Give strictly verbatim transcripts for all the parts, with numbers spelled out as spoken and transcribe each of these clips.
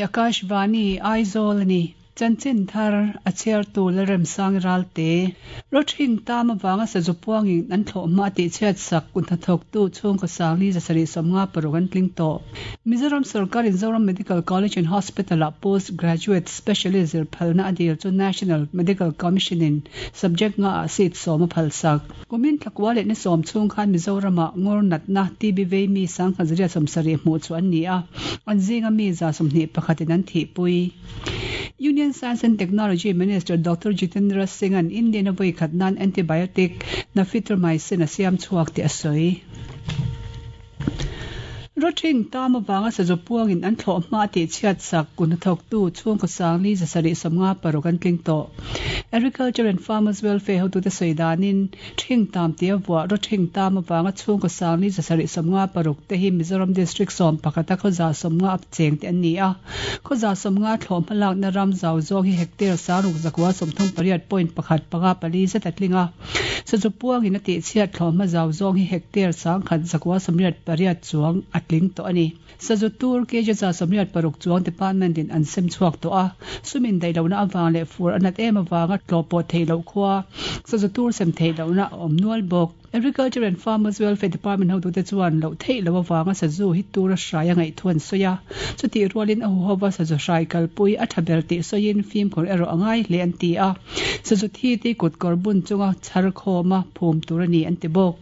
Akashvani Aizawl ani. Chanchin thar a chhiartu Lalremsang Ralte. Rothing tam awanga sazu puangin an thlawhhma tih chhiat sak kun hnathawktu chhungkaw sangli zasarih sawmnga paruk an tling tawh. Mizoram sarkar in Zoram Medical College and Hospital ah postgraduate specialist zir phalna a dil chu National Medical Commission in subject nga ah seat sawm a phal sak. Kumin thlakua leh ni sawm chhung khan Mizoram ah ngawr natna T B vei mi sangkhat zariat sawmsarih hmuh chu an ni a, an zinga mi za sawmhnih pakhatin an thihpui. Union Science and Technology Minister Doctor Jitendra Singh an Indian a voi khat nan antibiotic nafithromycin a siam chuak ti a sawi. Rothing tam awanga sazu puangin an thlawhhma tih chhiat sak kun hnathawktu chhungkaw sangli zasarih sawmnga paruk an tling tawh. Agriculture and Farmers Welfare hotute sawi danin thing tam tia vuah rothing tam awanga chhungkaw sangli zasarih sawmnga paruk te hi Mizoram District sawm pakhata khawza sawmnga ap cheng te an ni a. Khawza sawmnga thlawhhma lakna ram zau zawng hi hectare saruk zakua sawmthum pariat point pakhat panga pali zet a tling a. Sazu puangin a tih chhiat thlawhhma zau zawng hi hectare sangkhat zakua sawmriat pariat chuang a tling tawh ani. Sazu tur K J za sawmriat paruk chuang department in an sem chhuak tawh a. Sumin daihlohna awang leh fur anat em awanga tlawhpawh theihloh khua. Sazu tur sem theihlohna a awm nual bawk. Agriculture and Farmers Welfare Department hotute chuan loh theihloh awanga sazu hi tur a hrai a ngaih thu an sawi a. Chuti rualin a huhova sazu hrai kalpui a tha ber tih sawiin fimkhur erawh a ngai hle an ti a. Sazu thi ti kut kawr bun chunga chhar khawma phum tur ani an ti bawk.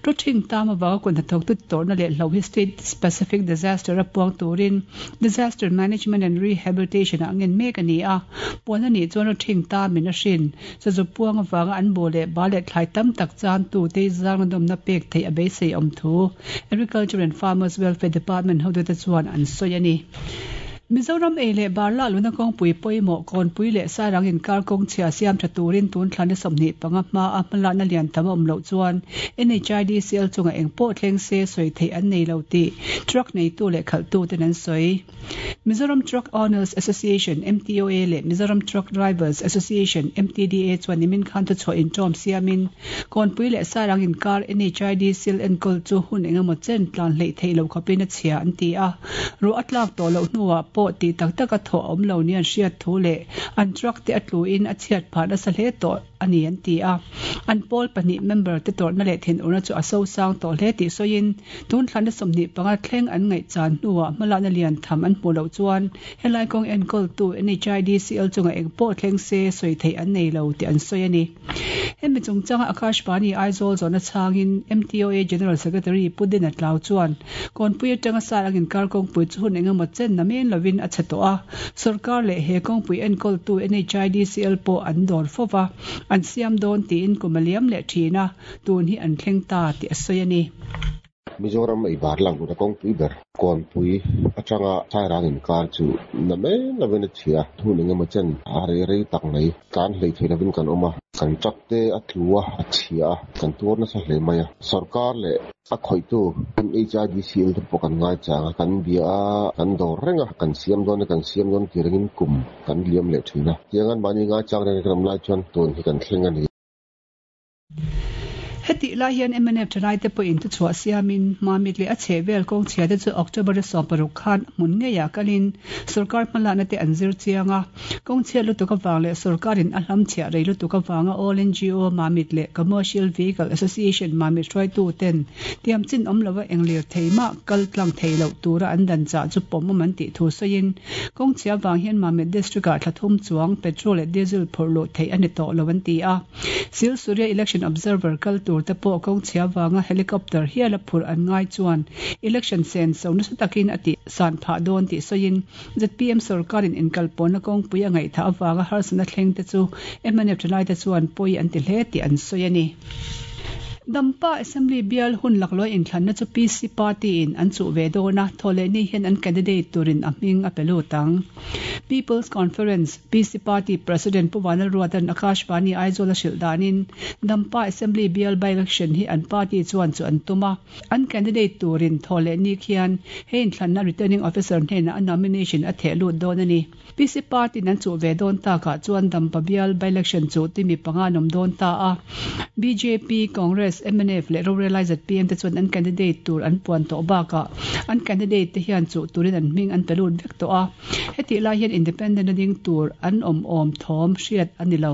Rothing tam awanga kun hnathawktu tawrhna leh hlo hi state specific disaster a puang turin disaster management and rehabilitation ah ngen mek ani a. Puan ani chuan rothing tam in a hrin. Sazu puang awanga an bu leh ba leh thlai tam tak chan tu te zang na dawmna pek thei a beisei awm thu. Agriculture and Farmers Welfare Department hotute chuan an sawi ani. Mizoram ei leh bar la luna kawngpui pawimawh kawnpui leh sarang inkar kawng chhia siam tha turin tun thlan ni sawmhnih panga hma a hmalakna lian tam a awm loh chuan N H I D C L chunga eng pawh thleng se sawi theih an nei lo tih truck neitu leh khalhtu ten an sawi. Mizoram Truck Owners Association M T O A leh Mizoram Truck Drivers Association M T D A chuan nimin khan thu chhuah intawm siamin kawnpui leh sarang inkar N H I D C L enkawl chu hun engemaw chen tlan hleih theih loh khawpin a chhia an ti a. Ruah a tlak tawh loh hnuah pawh tih tak tak a thawh awm lo ni an hriat thu leh an truck te a tluin a chhiat phah nasa hle tawh ani an ti a. An pawl pahnih member te tawrhna leh thin urna chu a so sang tawh hle tih sawiin tun thlan na sawmhnih panga thleng an ngaih chan hnuah hmalakna lian tham an hmu loh chuan helai kawng enkawltu N H I D C L chunga eng pawh thleng se sawi theih an nei lo tih an sawi ani. Hemi chungchanga Akashvani Aizawl zawhna chhangin M T O A General Secretary Pudin a tlau chuan kawnpui atanga sarang inkar kawngpui chu hun engemaw chen na men lovin a chhe tawh a. Sarkar leh he kawngpui enkawltu N H I D C L pawh an dawr fova an siam dawn tiin kum a liam leh thin a, tun hi an thleng ta tih a sawi ani. Mizoram ei bar lang luna kawngpui ber kawnpui atanga sairang inkar chu na men lovin a chhia. Hun engemaw chen a rei rei tak mai tlan hlei thei lovin kan awm a. Kan truck te a tlu a, a chhia a, kan tuar nasa hle mai a. Sarkar leh a khawihtu N H I D C L te pawh kan ngai chang a, kan bia a, kan dawr reng a, kan siam dawn a, kan siam dawn ti rengin kum kan liam leh thin a. Tiangan mahni ngai chang reng kan awm lai chuan tun hi kan thleng ani. Heti lai hian M N F thalai te pawhin thu chhuah siamin Mamit leh a chheh vel kawng chhia te chu October a sawm paruk khan hmun ngeiah kalin sarkar hmalakna te an zir chiang a. Kawng chhiat lutuk awang leh sarkarin a hlam chhiah rei lutuk awanga All N G O Mamit leh Commercial Vehicle Association Mamit hruaitu ten tiam chin awm lova englir thei mah kal tlang thei loh tura an dan chah chu pawm awm an tih thu sawiin kawng chhia wang hian Mamit District ah thlathum chuang petrol leh diesel phurh luh theih ani tawh lo an ti a. Sil Surya Election Observer kal tur te pawh kawng chhia wanga helicopter hial a phurh an ngai chuan election sen so nasa takin a ti san phah dawn tih sawiin Z P M sarkarin inkalpawhna kawngpui a ngaih tha awanga harsana thleng te chu M N F thalai te chuan pawi an ti hle tih an sawi ani. Dampa Assembly bial hun laklawih inthlanna chu P C Party in an chuh ve dawn a, thawhleh ni hian an candidate turin a hming a pe lut ang. People's Conference P C Party President Pu Vanlalruata'n Akashvani Aizawl a hrilh danin Dampa Assembly bial by-election hi an party chuan chu an tum a. An candidate turin thaw leh ni khian hei inthlanna returning officer hnenah a nomination a theh lut dawn a ni. P C Party an chu ve dawn takah chuan Dampa bial by-election chu timi panga an awm dawn ta a. B J P, Congress, M N F leh Rorelai Z P M te chuan an candidate tur an puan tawh bakah an candidate te hian chu turin an hming an pe lut vek tawh a. Heti lai hian independent a ding tur an awm awm thawm hriat a ni lo.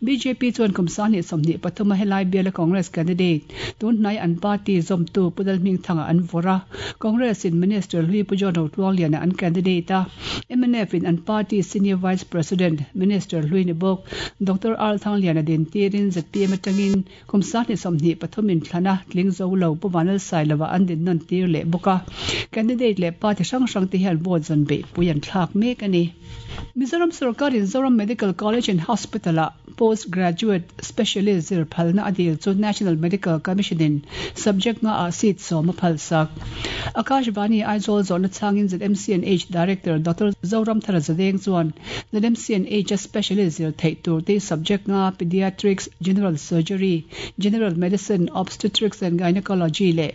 B J P chuan kum sangni sawmhnih pathum a helai biala Congress candidate tun hnai an party zawmtu Pu Lalhmingthanga an vawrh a. Congress in Minister Hlui Pu John Rotluangliana an candidate a. M N F in an party Senior Vice President Minister Hlui ni bawk Doctor R Thangliana din tirin Z P M atangin kum sangni sawmhnih pathum in thlana tling zo lo Pu Vanlalsailoa an din nawn tir leh bawk a. Candidate leh party hrang hrang te hian vote zawn beih pui an thlak mek a ni. Mizoram Sarkar in Zoram Medical College and Hospital a postgraduate specialist zir phalna a dil chu National Medical Commission in subject nga a seat sawm a phal sak. Akashvani Aizawl zawhna changin Z M C and H Director Doctor Zoram Thara Zadeng chuan Z M C and H a specialist zir theih tur te subject nga pediatrics, general surgery, general medicine, obstetrics and gynecology le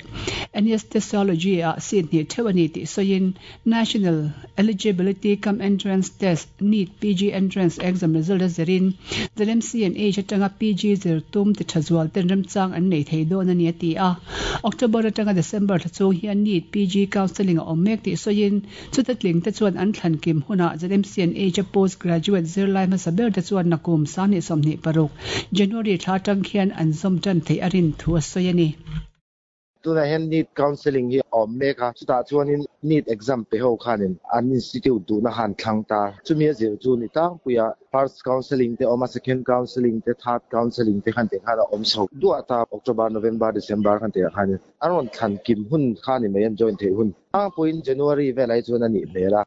anesthesiology a seat hnih theuh ani tih sawiin National Eligibility cum Entrance Test NEET P G Entrance Exam result a zirin Z M C and H atanga P G zir tum ti tha zual ten remchang an nei thei dawn ani a ti a. October atanga December thla chung hian NEET P G counselling a awm mek tih sawiin chuta tling te chuan an thlan kim hunah Z M C and H a postgraduate zir lai hmasa ber te chuan nakum sangni sawmhnih paruk January thla atang khian an zawm tan thei a rin thu a sawi ani. Tuna hian NEET counselling hi awm mek a chutah chuanin NEET exam pe ho khanin an institute duhna han thlang ta chumi a zir chu ni tlangpuia first counselling te awm a second counselling te third counselling te khan te khan a awm chho duah ta October November December khan te khanin an rawn thlan kim hun kha ni mai an join thei hun tlangpuiin January velai chuan a nih hmel a.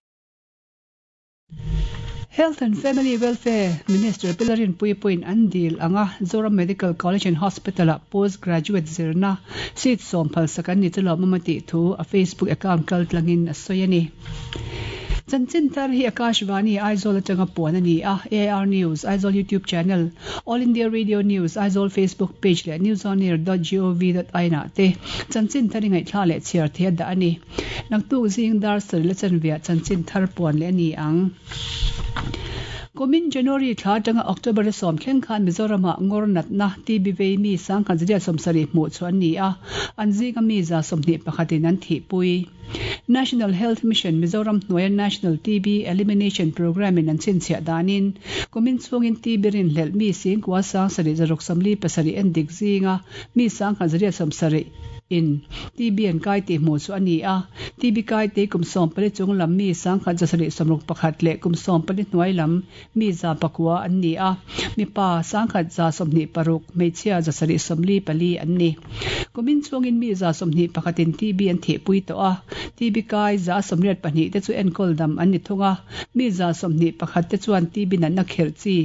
Health and Family Welfare Minister Pilarin Puipuin an dil anga Zoram Medical College and Hospital a postgraduate zirna seat sawm phal sak an ni chu lawm awm a tih thu a Facebook account kal tlangin a sawi a ni. Chanchin thar hi Akashvani Aizawl atanga puan a ni a. A R News, Aizawl YouTube channel, All India Radio News, Aizawl Facebook page leh newsonair dot gov dot in ah te chanchin thar i ngaihthla leh chhiar thei a dah a ni. Naktuk zing dar sarih la chanveah chanchin thar puan leh a ni ang. Kumin January thla atanga October a sawm thleng khan Mizoramah ngawr natna T B vei mi sangkhat zaria sawmsarih hmuh chu an ni a. An zinga mi za sawmhnih pakhatin an thihpui. National Health Mission Mizoram hnuaia National T B Elimination Program in an chhinchhiah danin kumin chungin T B rin hlelh mi singkua sang sarih zaruk sawmli pasarih en dik zinga mi sangkhat zaria sawmsarih in T B an kai tih hmuh chu a ni a. T B kai te kum sawm pali chung lam mi sangkhat zasarih sawmruk pakhat leh kum sawm pali hnuai lam mi za pakua an ni a. Mi pa sangkhat za sawmhnih paruk hmeichhia zasarih sawmli pali an ni. Kumin chungin mi za sawmhnih pakhatin T B an thihpui tawh a. T B kai za sawmriat pahnih te chu enkawl dam an ni thung a. Mi za sawmhnih pakhat te chuan T B natna kherh chi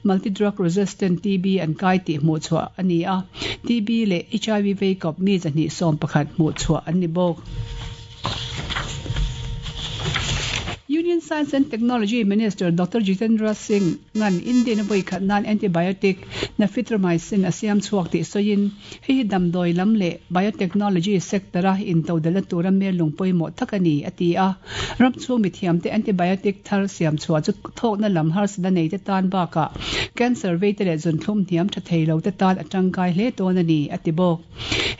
multi drug resistant T B an kai tih hmuh chhuah a ni a. T B leh H I V vei kawp mi zahnih sawm pakhat hmuh chhuah an ni bawk. Union Science and Technology Minister Doctor Jitendra Singh ngan Indian voi khat nan antibiotic nafithromycin a siam chuak ti soin hei hi damdoi lam le biotechnology sector a in todala tura mer lungpui mo takani ati a. Ram chu mi thiam te antibiotic thar siam chua chu thok na lam har sada nei te tan ba ka cancer vei te le zun thlum hniam tha theilo te tan atang kai hle ton ani ati bawk.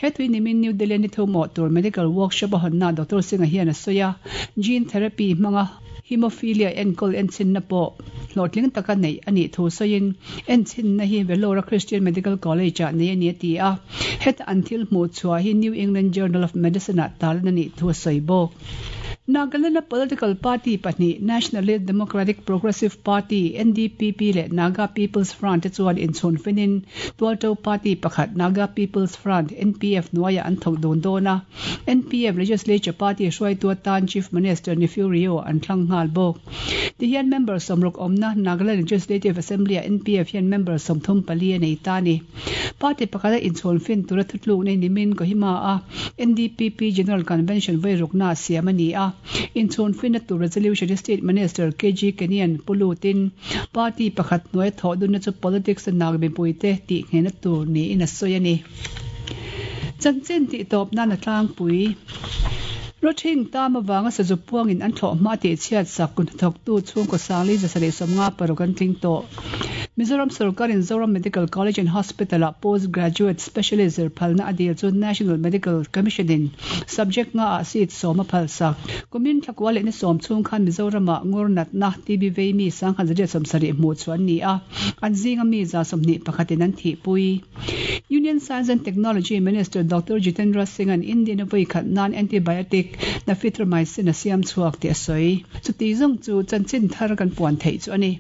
He tui nimin New Delhi ni thu mo tur medical workshop a honna Doctor Singh a hian a soya gene therapy hmanga hemophilia enkol enchin na po hlawhtling taka nei ani thu sawiin enchin na hi Vellore Christian Medical College ah nei ani a ti a. Het an thil hmuh chhuah hi New England Journal of Medicine ah talan ani thu a sawi bawk. Nagaland political party pahnih Nationalist Democratic Progressive Party N D P P le Naga People's Front te chuan inchhun finin Tualto Party pakhat Naga People's Front N P F hnuaiah an thawk dawn dawn a. N P F Legislature Party hruaitu atan Chief Minister Neiphiu Rio an thlang nghal bawk. Tihian member sawmruk awmna Nagaland Legislative Assembly a N P F hian member sawmthum pali a nei ta ni. Party pakhat a inchhun fin tura thutluk nei nimin Kohima a N D P P General Convention veirukna siam ani a. In chhun finna tur resolution State Minister K G Kenyan pulutin party pakhat hnuai thaw dunna chu politics nak mipuite tih nghehna tur niin a sawi ani. Chanchin tih tawp nan a tlangpui. Rothing tam awanga sazu puangin an thlawh hma tih chhiat sak kun thawktu chhungkaw sangli zasarih sawmnga paruk an tling tawh. Mizoram Sarkarin Zoram Medical College and Hospital a postgraduate specialist phalna adil chu National Medical Commission in subject nga a seat sawma phal sak. Kumin thlakua leh ni sawm chung khan Mizorama ngur natna T B vei mi sangkhat zariat sawmsarih hmuh chuan ni a, an zinga mi za sawmhnih pakhatin an thi pui. Union Science and Technology Minister Doctor Jitendra Singh an Indian voi khat nan antibiotic nafithromycin a siam chuak ti a sawi. Chuti zong chu chanchin thar kan puan thei chu ani.